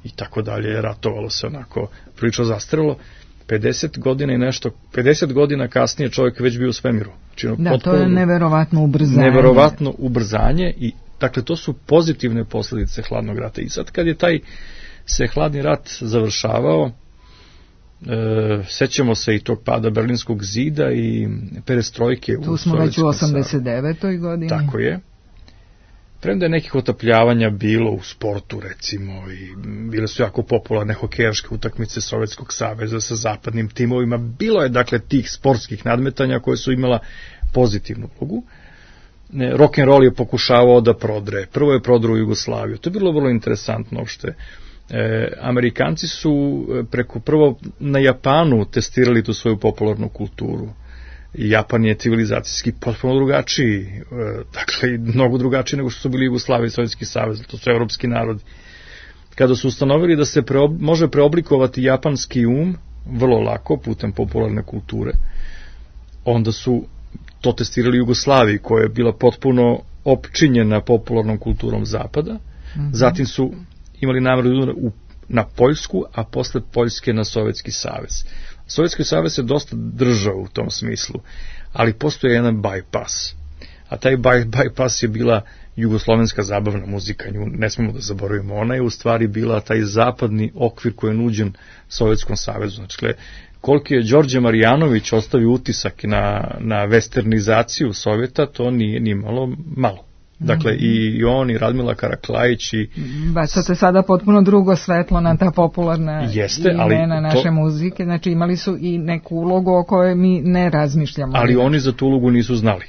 i tako dalje, ratovalo se onako prilično zastarelo. pedeset godina i nešto, pedeset godina kasnije čovjek već bio u svemiru. Znači, da, to je neverovatno ubrzanje. Neverovatno ubrzanje i dakle to su pozitivne posljedice hladnog rata. I sad kad je taj se hladni rat završavao, E, sećamo se i tog pada Berlinskog zida i perestrojke u tu smo već u osamdeset devetoj godini. Tako je. Premda je nekih otapljavanja bilo u sportu recimo i bile su jako popularne hokejaške utakmice Sovjetskog saveza sa zapadnim timovima, bilo je dakle tih sportskih nadmetanja koje su imala pozitivnu ulogu. Rock'n'roll je pokušavao da prodre, prvo je prodro u Jugoslaviju, to je bilo vrlo interesantno uopšte. E, Amerikanci su preko prvo na Japanu testirali tu svoju popularnu kulturu. Japan je civilizacijski potpuno drugačiji, e, dakle mnogo drugačiji nego što su bili Jugoslavija i Sovjetski savez, to su evropski narodi. Kada su ustanovili da se preob, može preoblikovati japanski um vrlo lako putem popularne kulture, onda su to testirali Jugoslaviji koja je bila potpuno opčinjena popularnom kulturom zapada, mm-hmm. Zatim su imali nameru na Poljsku, a posle Poljske na Sovjetski savez. Sovjetski savez je dosta držao u tom smislu, ali postoje jedan bypass. A taj bypass je bila jugoslovenska zabavna muzika, nju ne smemo da zaboravimo. Ona je u stvari bila taj zapadni okvir koji je nuđen Sovjetskom savezu. Znači, koliko je Đorđe Marjanović ostavio utisak na, na westernizaciju Sovjeta, to nije ni malo malo. Dakle, i on i Radmila Karaklajić i... Bacate sada potpuno drugo svetlo na ta popularna Jeste, imena ali naše to... muzike, znači imali su i neku ulogu o kojoj mi ne razmišljamo. Ali oni za tu ulogu nisu znali.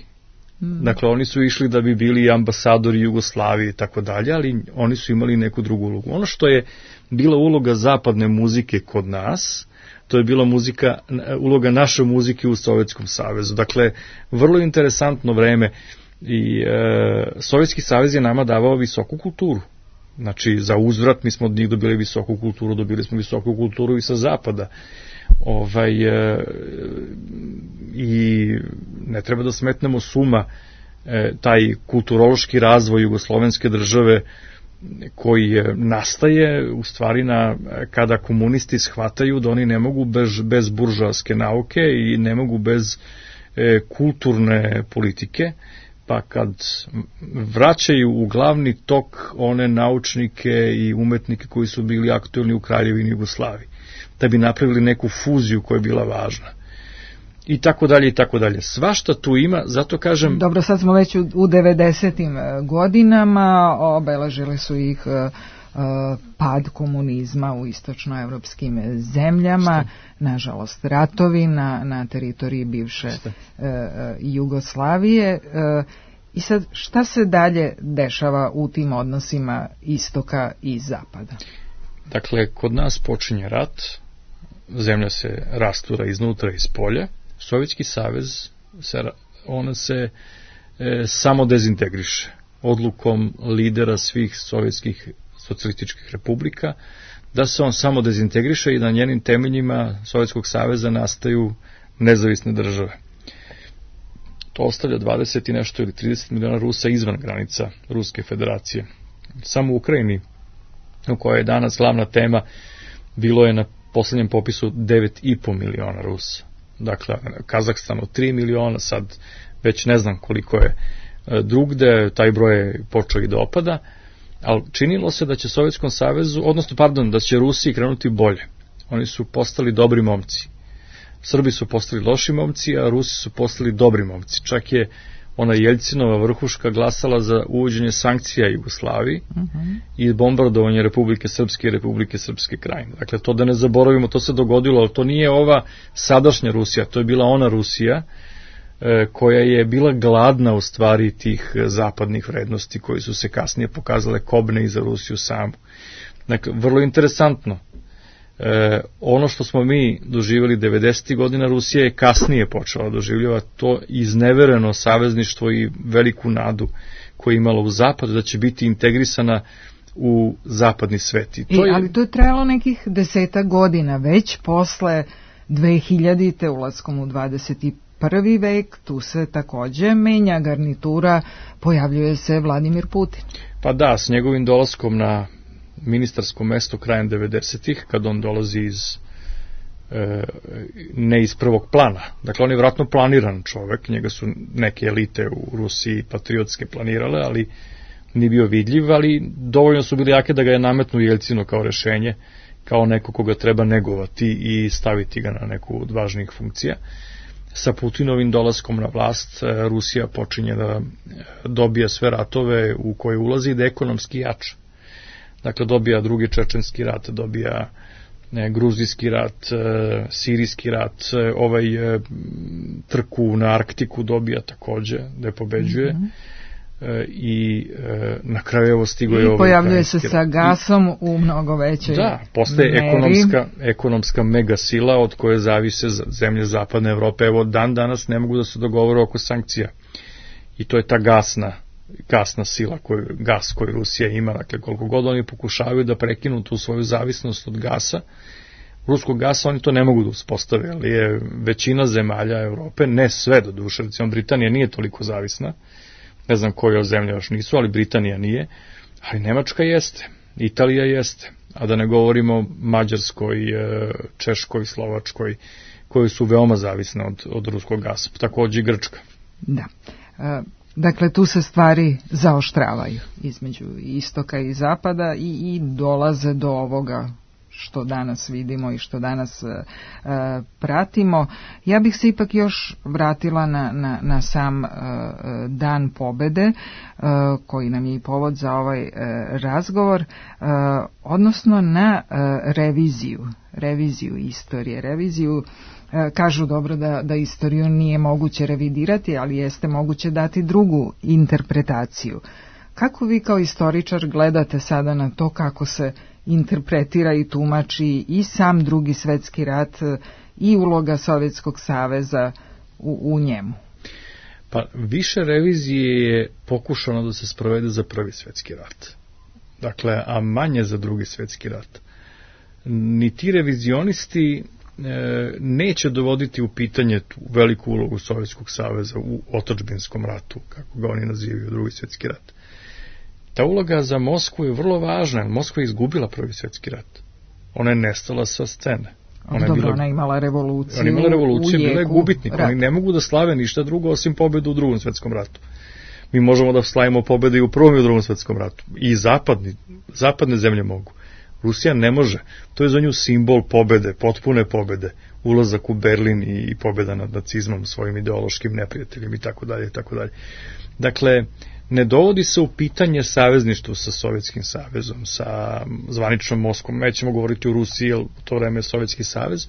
Hmm. Dakle, oni su išli da bi bili ambasadori Jugoslavije i tako dalje, ali oni su imali neku drugu ulogu. Ono što je bila uloga zapadne muzike kod nas, to je bila muzika, uloga naše muzike u Sovjetskom savezu. Dakle, vrlo interesantno vreme. I e, Sovjetski savez je nama davao visoku kulturu. Znači, za uzvrat mi smo od njih dobili visoku kulturu, dobili smo visoku kulturu i sa zapada. Ovaj, e, I ne treba da smetnemo suma e, taj kulturološki razvoj jugoslovenske države koji nastaje u stvari na, kada komunisti shvataju da oni ne mogu bez, bez buržoaske nauke i ne mogu bez e, kulturne politike, pa kad vraćaju u glavni tok one naučnike i umetnike koji su bili aktuelni u Kraljevini Jugoslaviji, da bi napravili neku fuziju koja je bila važna. I tako dalje, i tako dalje. Svašta tu ima, zato kažem... Dobro, sad smo već u, u devedesetim godinama, obeležili su ih uh, pad komunizma u istočnoevropskim zemljama, Što? nažalost ratovi na, na teritoriji bivše uh, Jugoslavije. Uh, I sad, šta se dalje dešava u tim odnosima istoka i zapada? Dakle, kod nas počinje rat, zemlja se rastura iznutra i iz polja, Sovjetski savez, se, ona se e, samo dezintegriše odlukom lidera svih sovjetskih socijalističkih republika, da se on samo dezintegriše i na njenim temeljima Sovjetskog saveza nastaju nezavisne države. To ostavlja dvadeset i nešto ili trideset miliona Rusa izvan granica Ruske federacije. Samo u Ukrajini, u kojoj je danas glavna tema, bilo je na poslednjem popisu devet i po miliona Rusa. Dakle, Kazahstanu tri miliona, sad već ne znam koliko je drugde, taj broj je počeo i da opada, ali činilo se da će Sovjetskom savezu, odnosno, pardon, da će Rusiji krenuti bolje. Oni su postali dobri momci. Srbi su postali loši momci, a Rusi su postali dobri momci. Čak je ona Jeljcinova vrhuška glasala za uvođenje sankcija Jugoslaviji uh-huh. i bombardovanje Republike Srpske i Republike Srpske Krajine. Dakle, to da ne zaboravimo, to se dogodilo, ali to nije ova sadašnja Rusija, to je bila ona Rusija e, koja je bila gladna u stvari tih zapadnih vrednosti koji su se kasnije pokazale kobne i za Rusiju samu. Dakle, vrlo interesantno. E, ono što smo mi doživjeli devedesetih godina, Rusija je kasnije počela doživljava to iznevereno savezništvo i veliku nadu koju je imala u zapad, da će biti integrisana u zapadni svet. I to I, je... Ali to je trajalo nekih deseta godina, već posle dvehiljadite ulaskom u dvadeseti prvi vek, tu se takođe menja garnitura, pojavljuje se Vladimir Putin. Pa da, s njegovim dolaskom na ministarsko mesto krajem devedesetih, kad on dolazi iz e, ne iz prvog plana. Dakle, on je vjerojatno planiran čovek, njega su neke elite u Rusiji patriotske planirale, ali nije bio vidljiv, ali dovoljno su bili jake da ga je nametnu Jeljcinu kao rešenje, kao neko koga treba negovati i staviti ga na neku od važnijih funkcija. Sa Putinovim dolaskom na vlast Rusija počinje da dobija sve ratove u koje ulazi i da ekonomski jača. Dakle, dobija drugi čečenski rat, dobija ne, gruzijski rat, e, sirijski rat, e, ovaj e, trku na Arktiku dobija takođe, da pobeđuje. Mm-hmm. E, I e, na kraju evo stigo je ovaj... I pojavljuje se sa gasom I, u mnogo većoj Da, postaje meri. ekonomska, ekonomska megasila od koje zavise zemlje zapadne Evrope. Evo, dan danas ne mogu da se dogovore oko sankcija. I to je ta gasna gasna sila, koju, gas koju Rusija ima, dakle koliko god oni pokušavaju da prekinu tu svoju zavisnost od gasa, ruskog gasa oni to ne mogu da uspostave, ali je većina zemalja Evrope, ne sve do duše, recimo Britanija nije toliko zavisna, ne znam koje zemlje još nisu, ali Britanija nije, ali Nemačka jeste, Italija jeste, a da ne govorimo Mađarskoj, Češkoj, Slovačkoj, koje su veoma zavisne od, od ruskog gasa, takođe i Grčka. Da. Uh... Dakle, tu se stvari zaoštravaju između istoka i zapada i, i dolaze do ovoga što danas vidimo i što danas e, pratimo. Ja bih se ipak još vratila na, na, na sam e, dan pobede, e, koji nam je i povod za ovaj e, razgovor, e, odnosno na e, reviziju, reviziju istorije, reviziju. Kažu dobro da, da istoriju nije moguće revidirati, ali jeste moguće dati drugu interpretaciju. Kako vi kao istoričar gledate sada na to kako se interpretira i tumači i sam Drugi svetski rat i uloga Sovjetskog saveza u, u njemu? Pa više revizije je pokušano da se sprovede za Prvi svetski rat. Dakle, a manje za Drugi svetski rat. Ni ti revizionisti neće dovoditi u pitanje tu veliku ulogu Sovjetskog saveza u otadžbinskom ratu, kako ga oni nazivaju, Drugi svjetski rat. Ta uloga za Moskvu je vrlo važna, Moskva je izgubila Prvi svjetski rat. Ona je nestala sa scene. Ona je, bila, ona je imala revoluciju. Ona je imala revoluciju, bila je gubitnik. Oni ne mogu da slave ništa drugo osim pobedu u Drugom svjetskom ratu. Mi možemo da slavimo pobede i u Prvom i u Drugom svjetskom ratu. I zapadni, zapadne zemlje mogu. Rusija ne može. To je za nju simbol pobede, potpune pobede. Ulazak u Berlin i pobeda nad nacizmom, svojim ideološkim neprijateljima i tako dalje i tako dalje. Dakle, ne dovodi se u pitanje savezništvo sa Sovjetskim savezom, sa zvaničnom Moskvom. Nećemo govoriti o Rusiji, jer u to vreme je Sovjetski savez.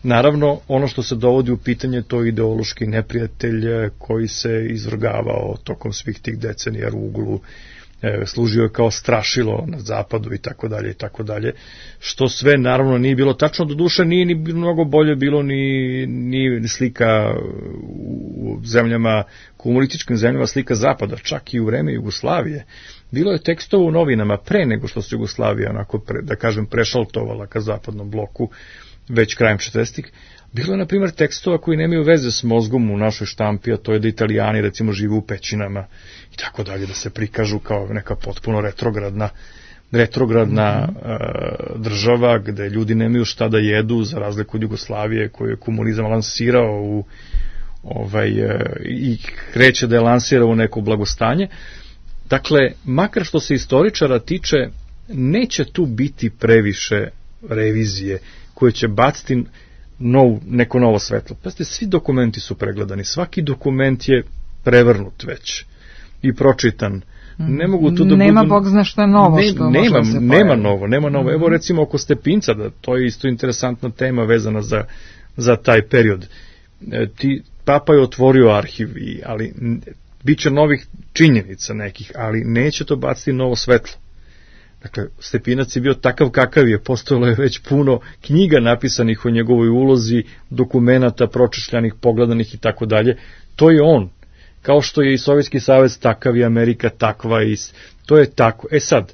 Naravno, ono što se dovodi u pitanje, to je ideološki neprijatelj koji se izvrgavao tokom svih tih decenija ruglu, e, služio je kao strašilo na zapadu i tako dalje i tako dalje, što sve naravno nije bilo tačno, do duše nije ni mnogo bolje bilo ni, ni slika u zemljama, komunističkim zemljama, slika zapada, čak i u vreme Jugoslavije. Bilo je tekstova u novinama pre nego što se Jugoslavija, onako pre, da kažem, prešaltovala ka zapadnom bloku, već krajem četrdesetih. Bilo je, na primjer, tekstova koji nemaju veze s mozgom u našoj štampi, a to je da Italijani, recimo, žive u pećinama i tako dalje, da se prikažu kao neka potpuno retrogradna, retrogradna uh, država, gde ljudi nemaju šta da jedu, za razliku od Jugoslavije, koju je komunizam lansirao u, ovaj, uh, i kreće da je lansirao u neko blagostanje. Dakle, makar što se istoričara tiče, neće tu biti previše revizije koje će baciti nov, neko novo svetlo. Pazite, svi dokumenti su pregledani, svaki dokument je prevrnut već i pročitan. Ne mogu tu da nema budu... Bog zna šta novo ne, što nema, može se nema novo, nema novo. Evo recimo oko Stepinca, da, to je isto interesantna tema vezana za, za taj period. E, ti, Papa je otvorio arhiv, ali bit će novih činjenica nekih, ali neće to baciti novo svetlo. Dakle, Stepinac je bio takav kakav je, postojalo je već puno knjiga napisanih o njegovoj ulozi, dokumenata pročešljanih, pogledanih i tako dalje. To je on. Kao što je i Sovjetski savez takav i Amerika takva i to je tako. E sad,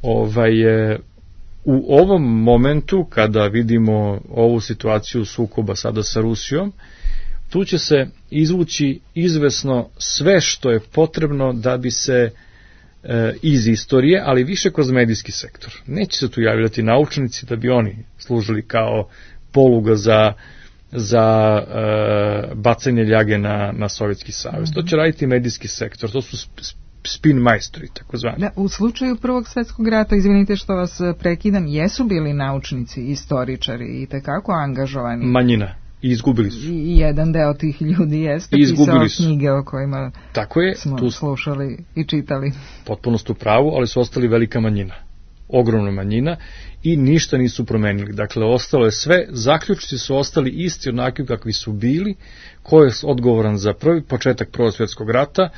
ovaj, u ovom momentu kada vidimo ovu situaciju sukoba sada sa Rusijom, tu će se izvući izvesno sve što je potrebno da bi se e, iz istorije, ali više kroz medijski sektor. Neće se tu javljati naučnici da bi oni služili kao poluga za za e, bacanje ljage na, na Sovjetski savez. Mm-hmm. To će raditi medijski sektor, to su spin majstori, tako zvani. Da, u slučaju Prvog svjetskog rata, izvinite što vas prekidam, jesu bili naučnici, istoričari i tekako angažovani? Manjina. I izgubili su. I jedan deo tih ljudi jeste pisao knjige o kojima tako je, smo tu slušali i čitali. Potpuno ste u pravu, ali su ostali velika manjina. Ogromna manjina i ništa nisu promenili. Dakle, ostalo je sve, zaključci su ostali isti onakvi kakvi su bili. Ko je odgovoran za prvi početak Prvog svjetskog rata?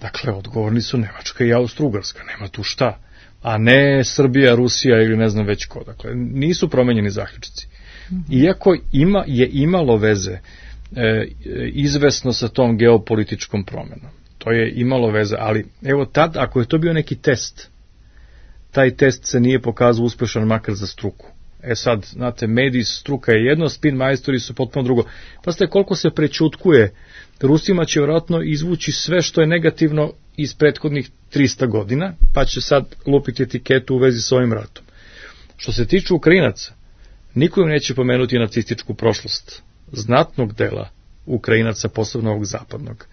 Dakle, odgovorni su Nemačka i Austro-Ugarska, nema tu šta. A ne Srbija, Rusija ili ne znam već ko. Dakle, nisu promenjeni zaključci. Iako ima, je imalo veze e, izvesno sa tom geopolitičkom promenom. To je imalo veze, ali evo tad, ako je to bio neki test, taj test se nije pokazao uspešan makar za struku. E sad, znate, mediji, struka je jedno, spin majstori su potpuno drugo. Pa ste koliko se prećutkuje, Rusima će vjerojatno izvući sve što je negativno iz prethodnih trista godina, pa će sad lupiti etiketu u vezi s ovim ratom. Što se tiče Ukrajinaca, niko im neće pomenuti nacističku prošlost znatnog dela Ukrajinaca, posebno ovog zapadnog.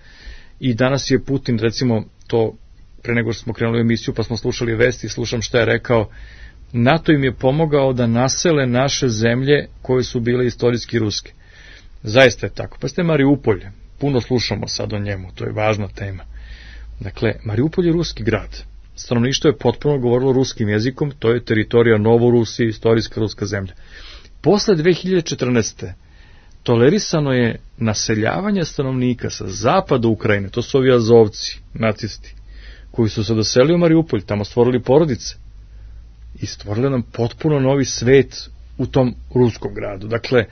I danas je Putin, recimo, to pre nego što smo krenuli u emisiju, pa smo slušali vesti, slušam šta je rekao, NATO im je pomogao da nasele naše zemlje koje su bile istorijski ruske. Zaista je tako. Pa ste Mariupolj, puno slušamo sad o njemu, to je važna tema. Dakle, Mariupolj je ruski grad. Stanovništvo je potpuno govorilo ruskim jezikom, to je teritorija Novorusije, istorijska ruska zemlja. Posle dve hiljade četrnaeste. tolerisano je naseljavanje stanovnika sa zapada Ukrajine, to su ovi Azovci, nacisti, koji su se doselili u Mariupolj, tamo stvorili porodice i stvorili nam potpuno novi svet u tom ruskom gradu. Dakle,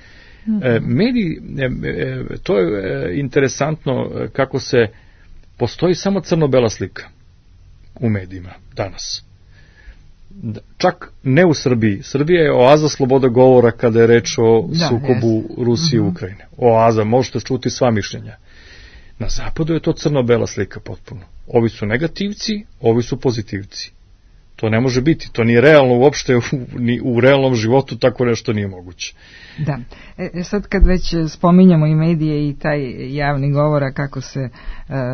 mm-hmm. e, mediji, e, e, to je e, interesantno kako se, postoji samo crno-bela slika u medijima danas. čak ne u Srbiji. Srbija je oaza sloboda govora kada je reč o da, sukobu jest. Rusije i mm-hmm. Ukrajine. Oaza, možete čuti sva mišljenja. Na zapadu je to crno-bela slika potpuno. Ovi su negativci, ovi su pozitivci. To ne može biti, to nije realno uopšte, u, ni u realnom životu tako nešto nije moguće. Da, e, sad kad već spominjamo i medije i taj javni govor, kako se e,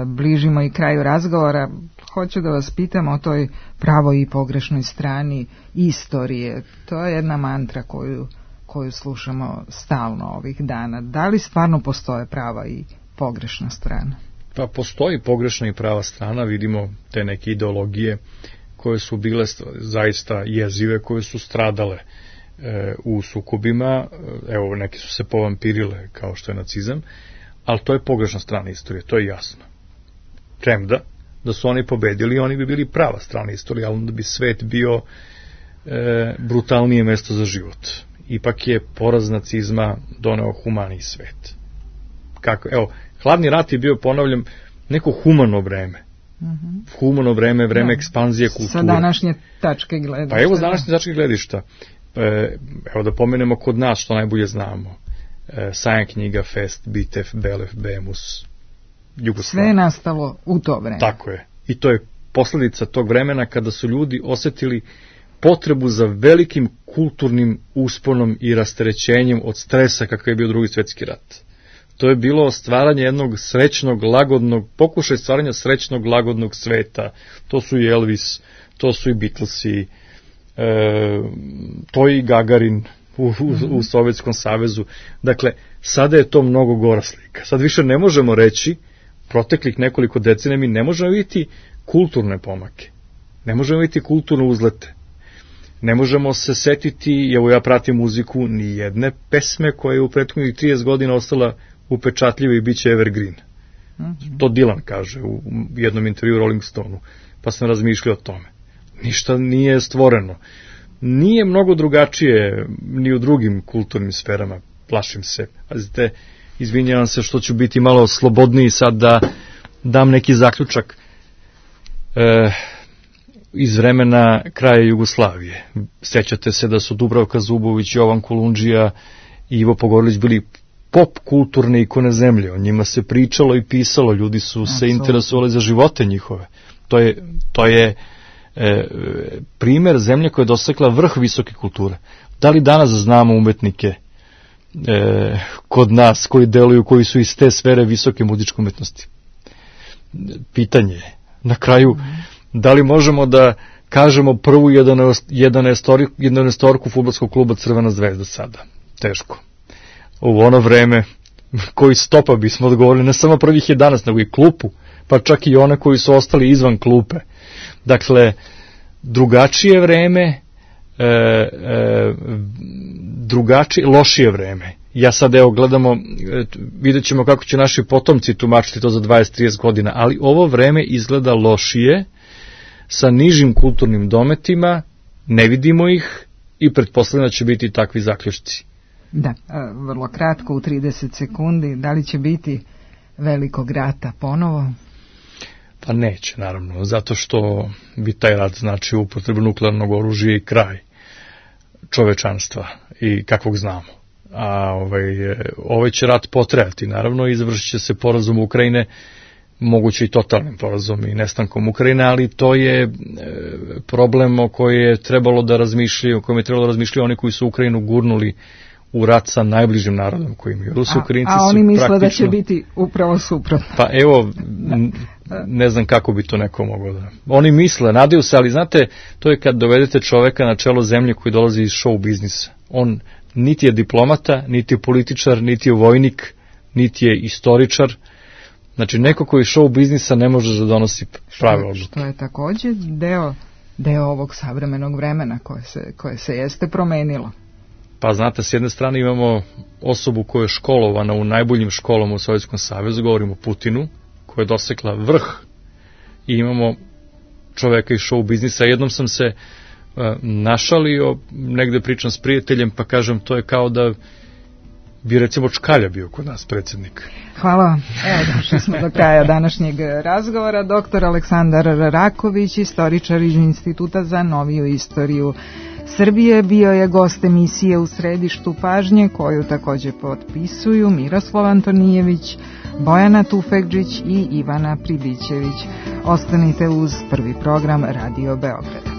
bližimo i kraju razgovora, hoću da vas pitam o toj pravoj i pogrešnoj strani istorije. To je jedna mantra koju, koju slušamo stalno ovih dana. Da li stvarno postoje prava i pogrešna strana? Pa postoji pogrešna i prava strana, vidimo te neke ideologije koje su bile zaista jezive, koje su stradale e, u sukobima, evo neki su se povampirile kao što je nacizam, ali to je pogrešna strana istorije, to je jasno. Premda, da su oni pobedili, oni bi bili prava strana istorije, ali onda bi svet bio e, brutalnije mesto za život. Ipak je poraz nacizma doneo humaniji svet. Kako, evo, hladni rat je bio, ponavljam, neko humano vreme. Mm-hmm. Humano vreme, vreme da. Ekspanzije kulture. Sa današnje tačke gledišta. Pa evo, s današnje tačke gledišta. E, evo da pomenemo kod nas što najbolje znamo. E, Sajam knjiga, Fest, Bitev, Belef, Bemus, Jugoslavija. Sve je nastalo u to vreme. Tako je. I to je posledica tog vremena kada su ljudi osetili potrebu za velikim kulturnim usponom i rasterećenjem od stresa kakav je bio Drugi svjetski rat. To je bilo stvaranje jednog srećnog, lagodnog, pokušaj stvaranja srećnog, lagodnog sveta. To su i Elvis, to su i Beatlesi, e, to je i Gagarin u, u, u Sovjetskom savezu. Dakle, sada je to mnogo gora slika. Sad više ne možemo reći, proteklih nekoliko decenija mi ne možemo vidjeti kulturne pomake. Ne možemo vidjeti kulturne uzlete. Ne možemo se setiti, evo ja pratim muziku, ni jedne pesme koja je u prethodnih trideset godina ostala upečatljiva i bit će evergreen. Mm-hmm. To Dylan kaže u jednom intervju Rolling Stoneu. Pa sam razmišljao o tome. Ništa nije stvoreno. Nije mnogo drugačije ni u drugim kulturnim sferama. Plašim se. Pazite, izvinjavam se što ću biti malo slobodniji sad da dam neki zaključak e, iz vremena kraja Jugoslavije. Sjećate se da su Dubravka Zubović, Jovan Kolundžija i Ivo Pogorelić bili pop kulturne ikone zemlje, o njima se pričalo i pisalo, ljudi su se interesovali za živote njihove. To je, to je e, primer zemlje koja je dosekla vrh visoke kulture. Da li danas znamo umetnike e, kod nas koji deluju, koji su iz te sfere visoke muzičke umetnosti? Pitanje je. Na kraju, da li možemo da kažemo prvu jedanaestorku fudbalskog kluba Crvena zvezda sada? Teško. U ono vreme koji stopa bismo odgovorili ne samo prvih jedanaest, nego i klupu, pa čak i one koji su ostali izvan klupe. Dakle, drugačije vreme, e, e, drugačije, lošije vreme. Ja sad evo gledamo, vidjet ćemo kako će naši potomci tumačiti to za dvadeset do trideset godina, ali ovo vreme izgleda lošije, sa nižim kulturnim dometima, ne vidimo ih i pretpostavljam da će biti takvi zaključci. Da, vrlo kratko, u trideset sekundi, da li će biti velikog rata ponovo? Pa neće, naravno, zato što bi taj rat znači upotrebu nuklearnog oružja i kraj čovečanstva i kakvog znamo. A ovaj, ovaj će rat potrajati, naravno, i završit će se porazom Ukrajine, moguće i totalnim porazom i nestankom Ukrajine, ali to je problem o kojem je trebalo da razmišljaju, o kojem je trebalo da razmišljaju oni koji su Ukrajinu gurnuli u rat sa najbližim narodom koji imaju. Rusi, Ukrajinci a, a oni su misle praktično... da će biti upravo suprotno. Pa evo, ne znam kako bi to neko moglo da... Oni misle, nadaju se, ali znate, to je kad dovedete čoveka na čelo zemlje koji dolazi iz show biznisa. On niti je diplomata, niti je političar, niti je vojnik, niti je istoričar. Znači, neko koji show biznisa ne može da donosi prave odluke. Što je također deo, deo ovog savremenog vremena koje se, koje se jeste promenilo. Pa znate, s jedne strane imamo osobu koja je školovana u najboljim školama u Sovjetskom savezu, govorimo o Putinu, koja je dosekla vrh, i imamo čoveka iz show biznisa. Jednom sam se uh, našalio, negde pričam s prijateljem, pa kažem, to je kao da bi recimo Čkalja bio kod nas predsjednik. Hvala. Evo, došli smo do kraja današnjeg razgovora. Doktor Aleksandar Raković, istoričar iz Instituta za noviju istoriju Srbije, bio je gost emisije U središtu pažnje, koju takođe potpisuju Miroslav Antonijević, Bojana Tufekđić i Ivana Pribićević. Ostanite uz Prvi program Radio Beograda.